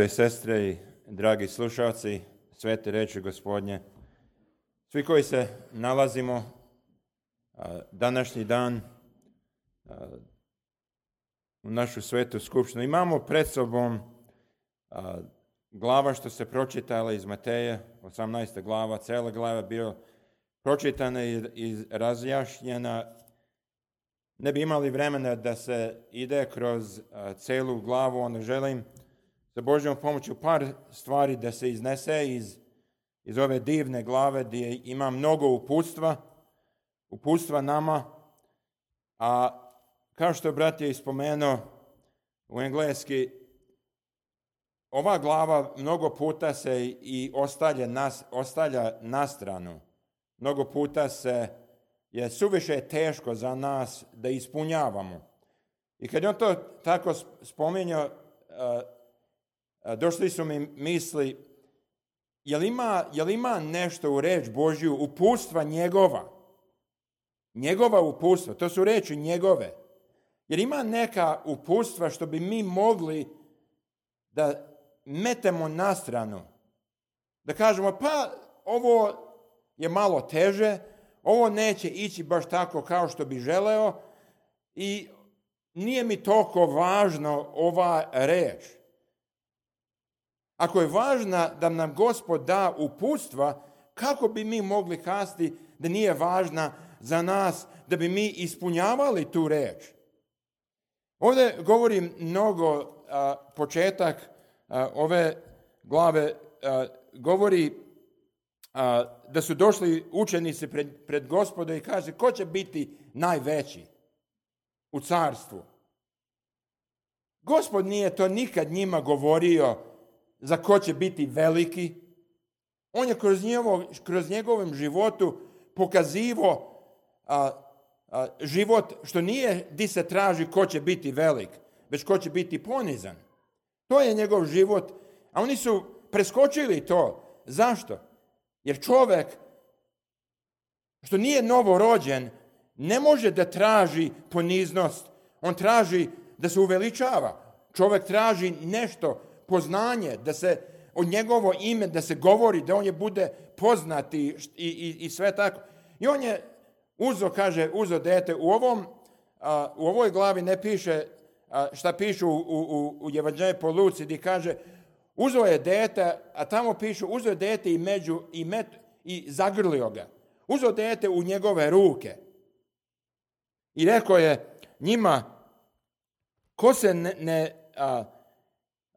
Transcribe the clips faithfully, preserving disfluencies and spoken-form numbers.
i sestre i dragi slušalci svete reči Gospodnje, svi koji se nalazimo a, današnji dan a, u našu svetu skupštinu, imamo pred sobom a, glava što se pročitala iz Mateje, osamnaesta glava, cela glava bila pročitana i, i razjašnjena. Ne bi imali vremena da se ide kroz a, celu glavu, onda želim sa Božjom pomoću par stvari da se iznese iz, iz ove divne glave gdje ima mnogo uputstva, uputstva nama, a kao što brat je ispomenuo u engleski, ova glava mnogo puta se i ostavlja, nas, ostavlja na stranu. Mnogo puta se je suviše teško za nas da ispunjavamo. I kad on to tako spominjao, došli su mi misli, jel ima, jel ima nešto u reč Božju, uputstva njegova? Njegova uputstva, to su reči njegove. Jer ima neka uputstva što bi mi mogli da metemo na stranu. Da kažemo, pa ovo je malo teže, ovo neće ići baš tako kao što bi želeo i nije mi toliko važno ova reč. Ako je važna da nam Gospod da uputstva, kako bi mi mogli kazati da nije važna za nas, da bi mi ispunjavali tu reč? Ovdje govorim mnogo, a, početak a, ove glave a, govori a, da su došli učenici pred, pred Gospoda i kaže, ko će biti najveći u carstvu? Gospod nije to nikad njima govorio za ko će biti veliki. On je kroz, njevo, kroz njegovim životu pokazivo a, a, život što nije di se traži ko će biti velik, već ko će biti ponizan. To je njegov život, a oni su preskočili to. Zašto? Jer čovjek što nije novorođen ne može da traži poniznost. On traži da se uveličava. Čovjek traži nešto, poznanje, da se od njegovo ime, da se govori, da on je bude poznat i, i, i sve tako. I on je uzo, kaže, uzo dete. U, ovom, a, u ovoj glavi ne piše a, šta pišu u, u, u Evanđelju po Luci, gdje kaže, uzo je dete, a tamo pišu, uzo je dete i, među, i, met, i zagrlio ga. Uzo dete u njegove ruke. I rekao je njima, ko se ne... ne a,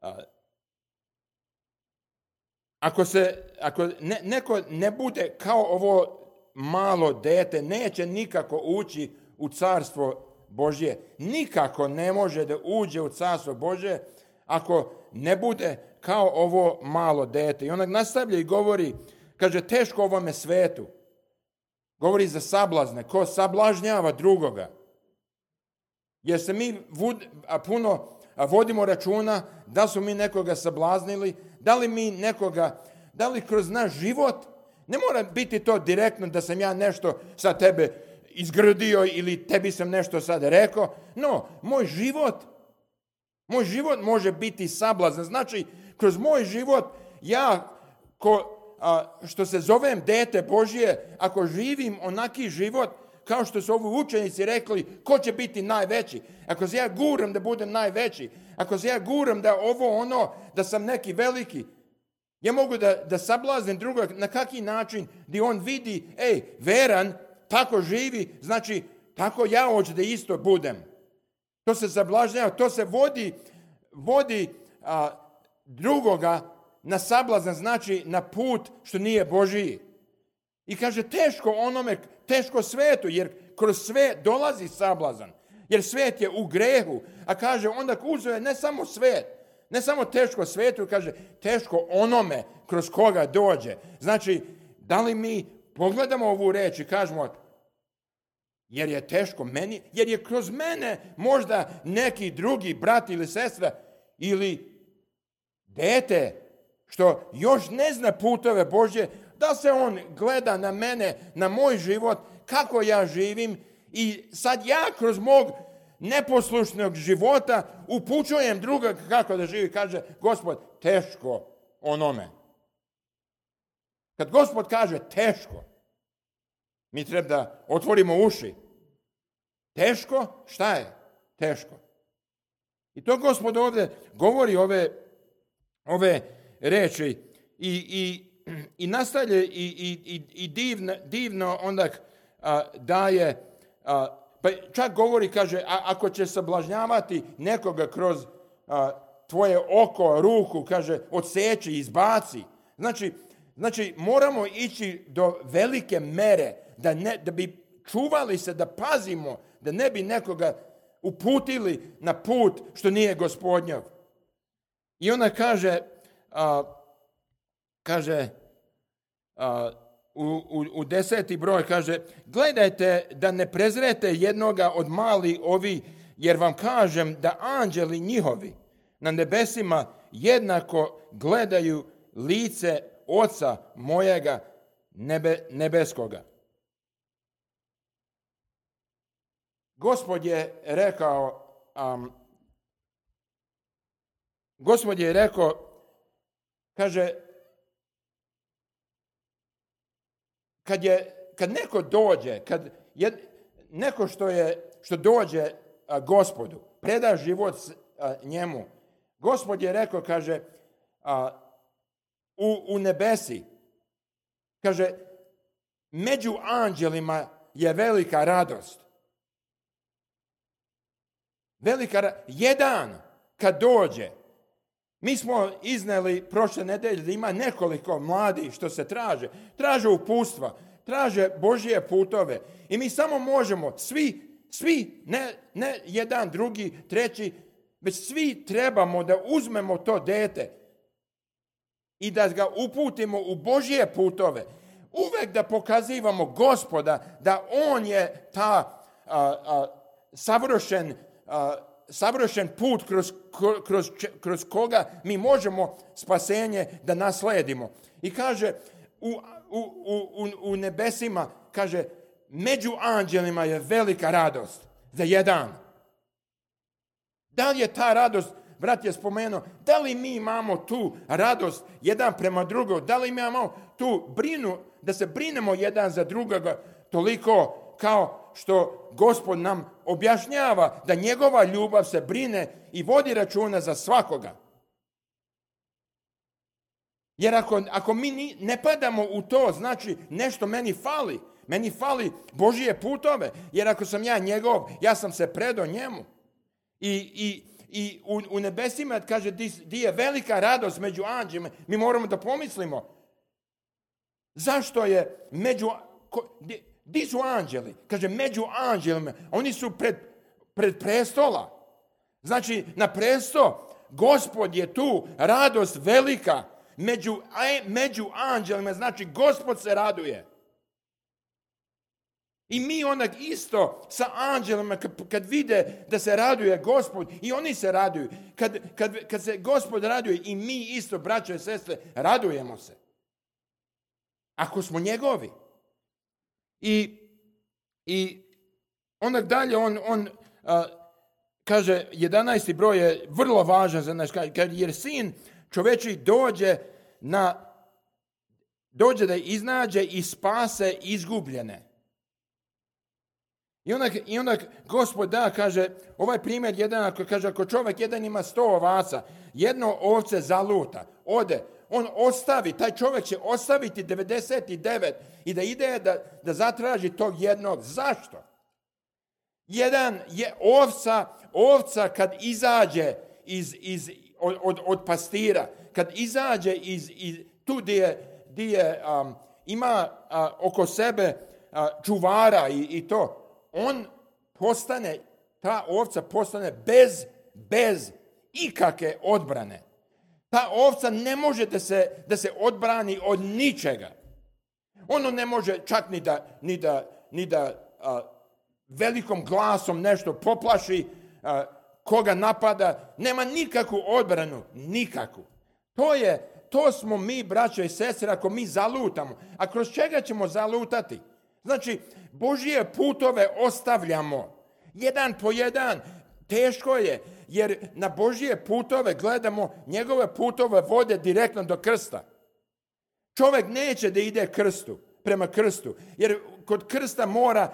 a, Ako, se, ako ne, neko ne bude kao ovo malo dete, neće nikako ući u carstvo Božje. Nikako ne može da uđe u carstvo Božje ako ne bude kao ovo malo dete. I onak nastavlja i govori, kaže, teško ovome svetu. Govori za sablazne, ko sablažnjava drugoga. Jer se mi vud, a puno a vodimo računa da su mi nekoga sablaznili, da li mi nekoga, da li kroz naš život, ne mora biti to direktno da sam ja nešto sa tebe izgrdio ili tebi sam nešto sad rekao. No, moj život, moj život može biti sablazan. Znači, kroz moj život, ja ko, a, što se zovem dete Božje, ako živim onaki život, kao što su ovi učenici rekli, ko će biti najveći? Ako se ja guram da budem najveći, ako se ja guram da ovo ono, da sam neki veliki, ja mogu da, da sablaznim drugog na kaki način gdje on vidi, ej, veran, tako živi, znači tako ja hoću da isto budem. To se sablažnjava, to se vodi, vodi a, drugoga na sablazan, znači na put što nije Božiji. I kaže, teško onome, teško svetu, jer kroz sve dolazi sablazan. Jer svet je u grehu. A kaže, onda uzeo je ne samo svet, ne samo teško svetu, kaže, teško onome kroz koga dođe. Znači, da li mi pogledamo ovu reč i kažemo, jer je teško meni, jer je kroz mene možda neki drugi brat ili sestra ili dete što još ne zna putove Božje, da se on gleda na mene, na moj život, kako ja živim i sad ja kroz mog neposlušnog života upućujem druga kako da živi. Kaže Gospod, teško onome. Kad Gospod kaže teško, mi treba da otvorimo uši. Teško? Šta je? Teško. I to Gospod ovdje govori ove, ove reči i, i, i nastavlja i, i, i divno, divno onda a, daje, a, pa čak govori, kaže, a, ako će sablažnjavati nekoga kroz a, tvoje oko, ruku, kaže, odseći, izbaci. Znači, znači moramo ići do velike mere da, ne, da bi čuvali se, da pazimo, da ne bi nekoga uputili na put što nije Gospodnjov. I ona kaže, a, kaže a, u, u, u deseti broj, kaže, gledajte da ne prezrete jednoga od mali ovi, jer vam kažem da anđeli njihovi na nebesima jednako gledaju lice Oca mojega nebe, nebeskoga. Gospod je rekao, um, Gospod je rekao, kaže, kad je, kad neko dođe, kad je neko što je, što dođe a, Gospodu, preda život a, njemu, Gospod je rekao, kaže, a, u, u nebesi, kaže, među anđelima je velika radost. Velika, jedan kad dođe, mi smo izneli prošle nedelje da ima nekoliko mladih što se traže, traže upustva, traže Božje putove i mi samo možemo, svi, svi, ne, ne jedan, drugi, treći, već svi trebamo da uzmemo to dete i da ga uputimo u Božje putove. Uvek da pokazivamo Gospoda da on je ta a, a, savršen A, savršen put kroz, kroz, kroz koga mi možemo spasenje da nasledimo. I kaže, u, u, u, u nebesima, kaže, među anđelima je velika radost za jedan. Da li je ta radost, brat je spomenuo, da li mi imamo tu radost jedan prema drugom, da li mi imamo tu brinu, da se brinemo jedan za drugoga toliko kao što Gospod nam objašnjava da njegova ljubav se brine i vodi računa za svakoga. Jer ako, ako mi ne padamo u to, znači nešto meni fali. Meni fali Božije putove. Jer ako sam ja njegov, ja sam se predao njemu. I, i, i u, u nebesima, kaže, di, di je velika radost među anđelima, mi moramo da pomislimo. Zašto je među... Ko, di, Di su anđeli? Kaže, među anđelima. Oni su pred, pred prestola. Znači, na presto, Gospod je tu, radost velika. Među, među anđelima, znači, Gospod se raduje. I mi onak isto sa anđelima, kad, kad vide da se raduje Gospod, i oni se raduju. Kad, kad, kad se Gospod raduje, i mi isto, braćo i sestre, radujemo se. Ako smo njegovi. I, i onak dalje on, on a, kaže, jedanaesti broj je vrlo važan za nas, kad jer sin čoveči dođe na dođe da iznađe i spase izgubljene. I onak, i onak Gospod da, kaže, ovaj primjer jedan, ako, kaže, ako čovjek jedan ima sto ovaca, jedno ovce zaluta, ode, on ostavi, taj čovjek će ostaviti devedeset devet i da ide da, da zatraži tog jednog. Zašto? Jedan je ovca, ovca kad izađe iz, iz, od, od, od pastira, kad izađe iz, iz tu gdje je, gdje je, um, ima uh, oko sebe uh, čuvara i, i to, on postane, ta ovca postane bez, bez ikakve odbrane. Ta ovca ne može da se, da se odbrani od ničega. Ono ne može čak ni da, ni da, ni da a, velikom glasom nešto poplaši, a, koga napada. Nema nikakvu odbranu, nikakvu. To je, to smo mi, braćo i sestre, ako mi zalutamo. A kroz čega ćemo zalutati? Znači, Božje putove ostavljamo Jedan po jedan. Teško je, jer na Božje putove gledamo, njegove putove vode direktno do krsta. Čovjek neće da ide krstu, prema krstu, jer kod krsta mora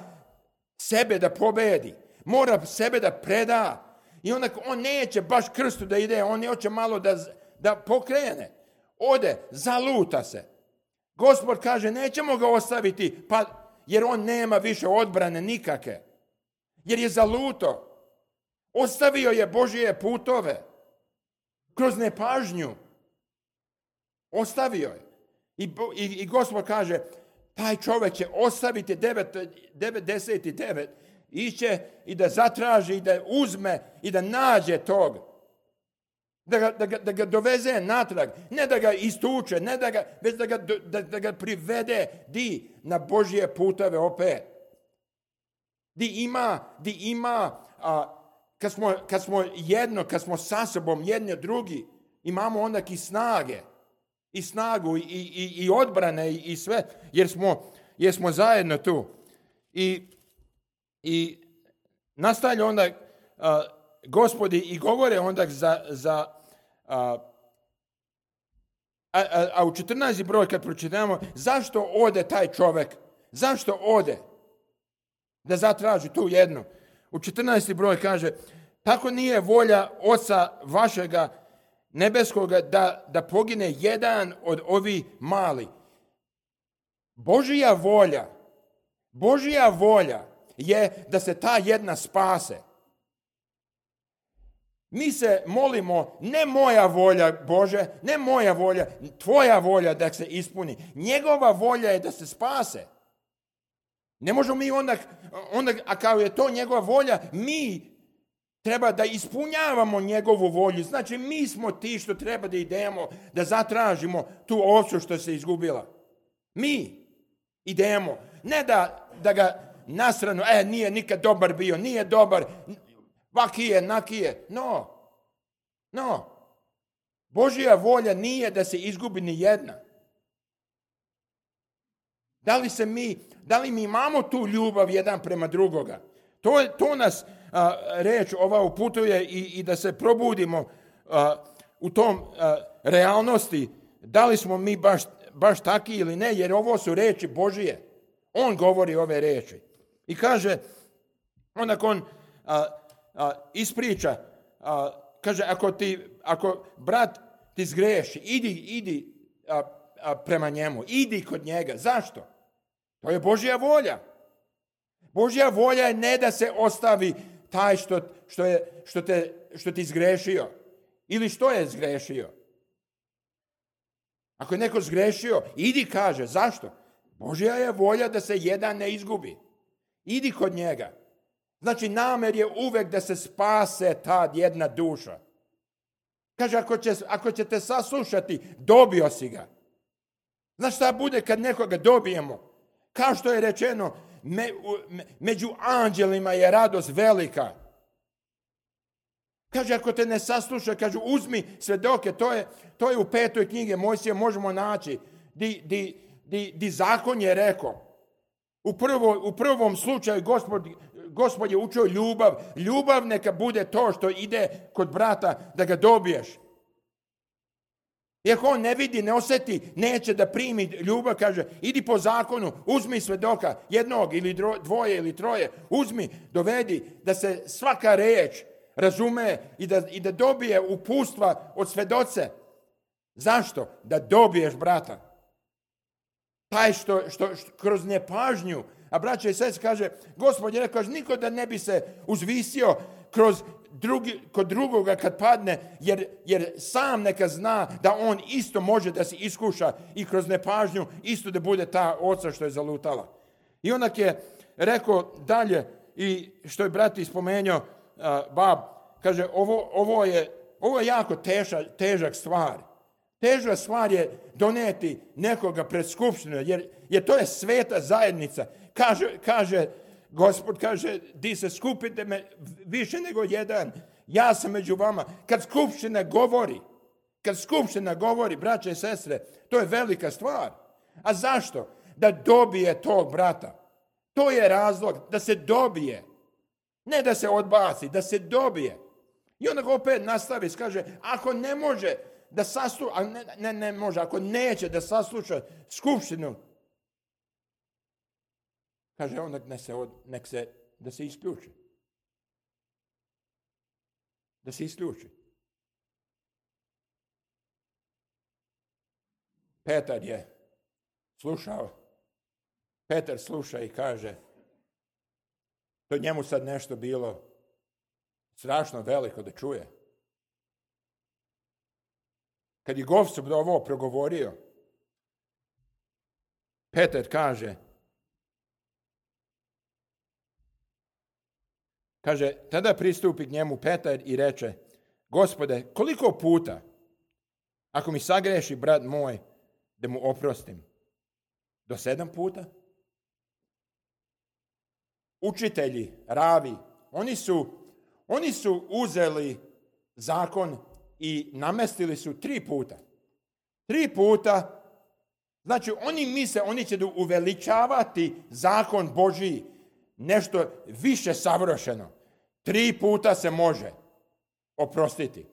sebe da pobedi, mora sebe da preda. I onda on neće baš krstu da ide, on hoće malo da, da pokrene. Ode, zaluta se. Gospod kaže, nećemo ga ostaviti, pa, jer on nema više odbrane nikake. Jer je zaluto. Ostavio je Božje putove. Kroz nepažnju. Ostavio je. I, i, i Gospod kaže, taj čovjek će ostaviti devedeset devet, iće i da zatraži, i da uzme, i da nađe tog. Da ga, da ga, da ga doveze natrag. Ne da ga istuče, ne da ga, već da ga, da, da ga privede di na Božje putove opet. Di ima, di ima, a, kad, smo, kad smo jedno, kad smo sa sobom jedni drugi, imamo onda i snage. I snagu, i, i, i odbrane, i, i sve, jer smo, jer smo zajedno tu. I, i nastavlja onda a, Gospodi i govore onda za, za a, a, a u četrnaesti broj kad pročitamo, zašto ode taj čovjek? Zašto ode? Da zatraži tu jednu. U četrnaesti broj kaže, tako nije volja Oca vašega nebeskoga da, da pogine jedan od ovih mali. Božja volja, Božja volja je da se ta jedna spase. Mi se molimo, ne moja volja, Bože, ne moja volja, tvoja volja da se ispuni. Njegova volja je da se spase. Ne možemo mi onda, onda a kao je to njegova volja, mi treba da ispunjavamo njegovu volju. Znači, mi smo ti što treba da idemo, da zatražimo tu ovcu što se izgubila. Mi idemo. Ne da, da ga nasranu, e, nije nikad dobar bio, nije dobar, vakije, nakije. No, no. Božja volja nije da se izgubi ni jedna. Da li se mi, da li mi imamo tu ljubav jedan prema drugoga? To, to nas a, reč ova uputuje i, i da se probudimo a, u tom a, realnosti. Da li smo mi baš, baš taki ili ne, jer ovo su reči Božije. On govori ove reči. I kaže, onda on a, a, ispriča, a, kaže, ako, ti, ako brat ti zgreši, idi, idi a, a, prema njemu, idi kod njega. Zašto? To je Božja volja. Božja volja je ne da se ostavi taj što, što, je, što, te, što ti zgrešio. Ili što je zgrešio. Ako je neko zgrešio, idi kaže. Zašto? Božja je volja da se jedan ne izgubi. Idi kod njega. Znači, namer je uvek da se spase ta jedna duša. Kaže, ako, će, ako ćete saslušati, dobio si ga. Znaš šta bude kad nekoga dobijemo? Kao što je rečeno, me, me, među anđelima je radost velika. Kaže, ako te ne sasluša, kaže, uzmi svedoke, to je, to je u petoj knjige Mojsije, možemo naći, di, di, di, di zakon je rekao. U, prvo, u prvom slučaju Gospod, Gospod je učio ljubav. Ljubav neka bude to što ide kod brata da ga dobiješ. I ako on ne vidi, ne osjeti, neće da primi ljubav, kaže, idi po zakonu, uzmi svedoka, jednog ili dvoje ili troje, uzmi, dovedi, da se svaka reč razume i da, i da dobije upustva od svedoce. Zašto? Da dobiješ brata. Taj što, što, što kroz nepažnju, a braće i sestre kaže, Gospod je rekao, niko da ne bi se uzvisio kroz drugi, kod drugoga kad padne, jer, jer sam neka zna da on isto može da se iskuša i kroz nepažnju isto da bude ta oca što je zalutala. I onak je rekao dalje, i što je brat ispomenuo, uh, bab, kaže, ovo, ovo, je, ovo je jako teža, težak stvar. Teža stvar je doneti nekoga pred skupštinu, jer, jer to je sveta zajednica. Kaže, kaže Gospod kaže, di se skupite me više nego jedan, ja sam među vama. Kad skupština govori, kad skupština govori, braće i sestre, to je velika stvar. A zašto? Da dobije tog brata. To je razlog, da se dobije. Ne da se odbaci, da se dobije. I onda ga opet nastavi, kaže, ako ne može da sasluša, ne, ne, ne može, ako neće da sasluša skupštinu, kaže, onda nek se, od, nek se, da se isključi. Da se isključi. Petar je slušao. Petar sluša i kaže, to njemu sad nešto bilo strašno veliko da čuje. Kad je Gospod ovo progovorio, Petar kaže, kaže, tada pristupi k njemu Petar i reče, Gospode, koliko puta, ako mi sagreši brat moj, da mu oprostim? Do sedam puta? Učitelji, ravi, oni su, oni su uzeli zakon i namestili su tri puta. Tri puta, znači oni misle, oni će da uveličavati zakon Božiji, nešto više savršeno. Tri puta se može oprostiti.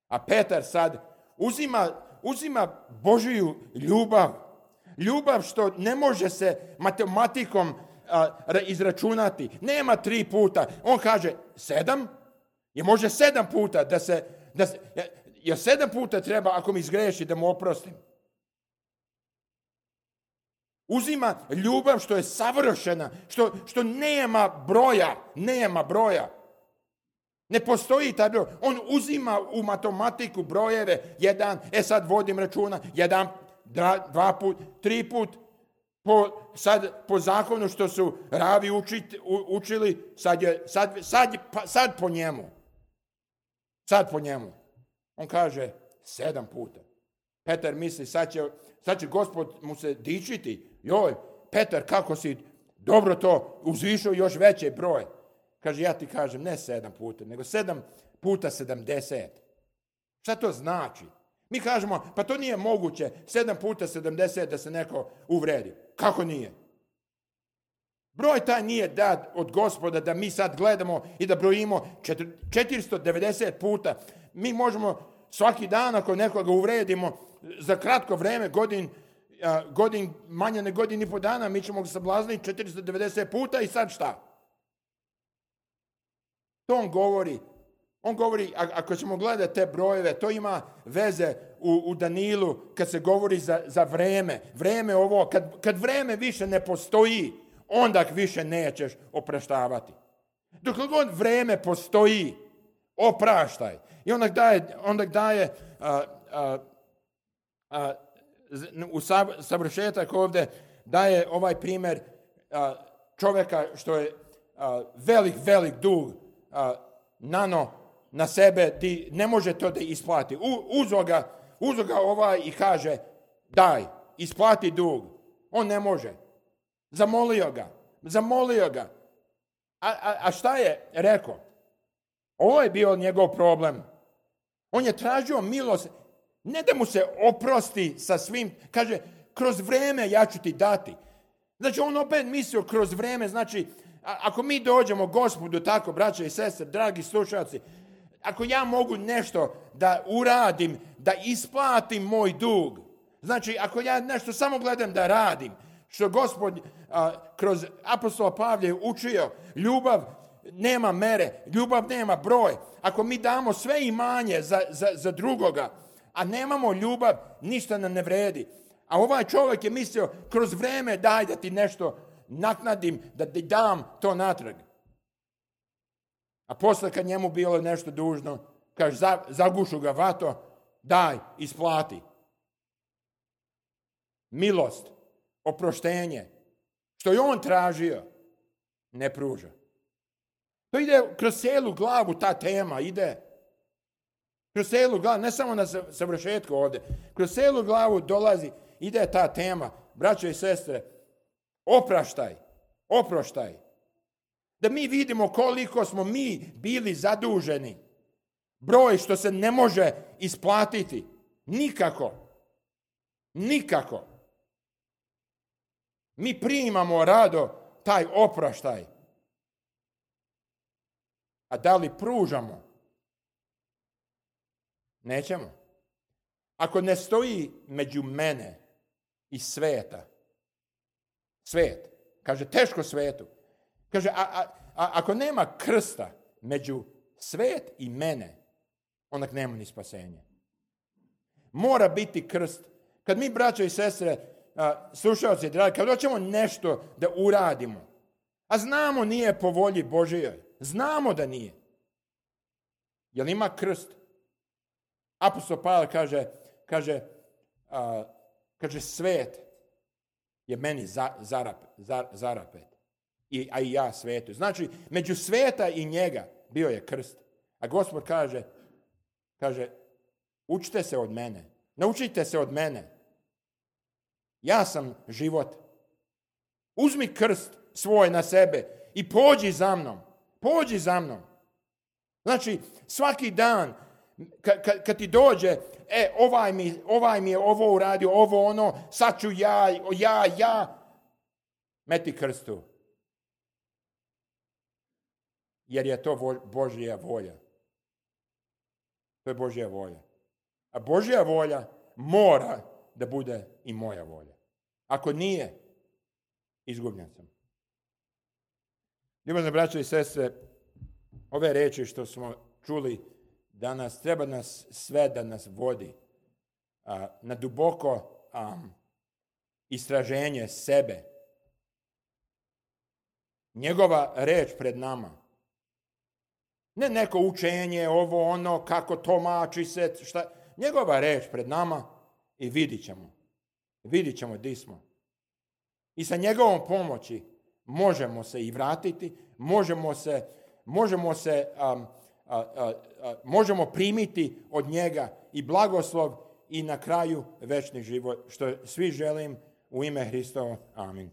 A Petar sad uzima, uzima Božiju ljubav, ljubav što ne može se matematikom a, izračunati. Nema tri puta. On kaže sedam, je može sedam puta da se, da se jer sedam puta treba ako mi zgreši da mu oprostim. Uzima ljubav što je savršena, što, što nema broja, nema broja. Ne postoji taj broj. On uzima u matematiku brojeve, jedan, e sad vodim računa, jedan, dva, dva put, tri put, po, sad po zakonu što su ravi učit, u, učili, sad, je, sad, sad, pa, sad po njemu. Sad po njemu. On kaže sedam puta. Petar misli, sad će, sad će Gospod mu se dičiti. Joj, Petar, kako si dobro to uzvišao još veći broj. Kaže, ja ti kažem, ne sedam puta, nego sedam puta sedamdeset. Šta to znači? Mi kažemo, pa to nije moguće, sedam puta sedamdeset da se neko uvredi. Kako nije? Broj taj nije dat od Gospoda da mi sad gledamo i da brojimo četiristo devedeset puta. Mi možemo svaki dan ako nekoga uvredimo za kratko vreme, godin, godin manje ne godin i po dana, mi ćemo ga sablazniti četiristo devedeset puta i sad šta? To on govori. On govori, ako ćemo gledati te brojeve, to ima veze u, u Danilu kad se govori za, za vreme. Vreme ovo, kad, kad vreme više ne postoji, onda više nećeš opraštavati. Dok god vreme postoji, opraštaj. I onda daje, onda daje a, a, a, u savršetak ovdje daje ovaj primjer a, čovjeka što je a, velik, velik dug a, nano na sebe, di ne može to da isplati. Uzo ga, uzo ga ovaj i kaže, daj, isplati dug. On ne može. Zamolio ga, zamolio ga. A, a, a šta je rekao? Ovo je bio njegov problem. On je tražio milost, ne da mu se oprosti sa svim, kaže, kroz vreme ja ću ti dati. Znači, on opet mislio kroz vreme, znači, a, ako mi dođemo Gospodu tako, braće i sestre, dragi slušalci, ako ja mogu nešto da uradim, da isplatim moj dug, znači, ako ja nešto samo gledam da radim, što Gospod a, kroz apostola Pavla je učio, ljubav nema mere, ljubav nema broj. Ako mi damo sve imanje za, za, za drugoga, a nemamo ljubav, ništa nam ne vredi. A ovaj čovjek je mislio, kroz vreme daj da ti nešto naknadim, da ti dam to natrag. A posle kad njemu bilo nešto dužno, kaže, za, zagušu ga vato, daj, isplati. Milost, oproštenje, što je on tražio, ne pruža. To ide kroz cijelu glavu, ta tema ide. Kroz cijelu glavu, ne samo na savršetku ovdje, kroz cijelu glavu dolazi, ide ta tema, braćo i sestre, opraštaj, oproštaj. Da mi vidimo koliko smo mi bili zaduženi. Broj što se ne može isplatiti. Nikako. Nikako. Mi primamo rado taj opraštaj. A da li pružamo? Nećemo. Ako ne stoji među mene i sveta, svet, kaže teško svetu, kaže a, a, a ako nema krsta među svet i mene, onda nema ni spasenja. Mora biti krst. Kad mi, braćo i sestre, a, slušalci, dragi, kad hoćemo nešto da uradimo, a znamo nije po volji Božijoj, znamo da nije. Jel ima krst? Apostol Pavle kaže, kaže, a, kaže svet je meni za, zarap, zar, zarapet, I, a i ja svetu. Znači, među sveta i njega bio je krst. A Gospod kaže, kaže, učite se od mene, naučite se od mene. Ja sam život. Uzmi krst svoj na sebe i pođi za mnom. Pođi za mnom. Znači, svaki dan, kad ka, ka ti dođe, e, ovaj mi, ovaj mi je ovo uradio, ovo ono, sad ću ja, ja, ja, meti krstu. Jer je to Božja volja. To je Božja volja. A Božja volja mora da bude i moja volja. Ako nije, izgubljen sam. Ljubazne braćo i sestre, ove reči što smo čuli danas, treba nas sve da nas vodi a, na duboko a, istraženje sebe. Njegova reč pred nama. Ne neko učenje, ovo, ono, kako tumači se, šta. Njegova reč pred nama i vidit ćemo. Vidit ćemo di smo. I sa njegovom pomoći možemo se i vratiti, možemo se, možemo se, um, a, a, a, možemo primiti od njega i blagoslov i na kraju večni život, što svi želim u ime Hristova. Amin.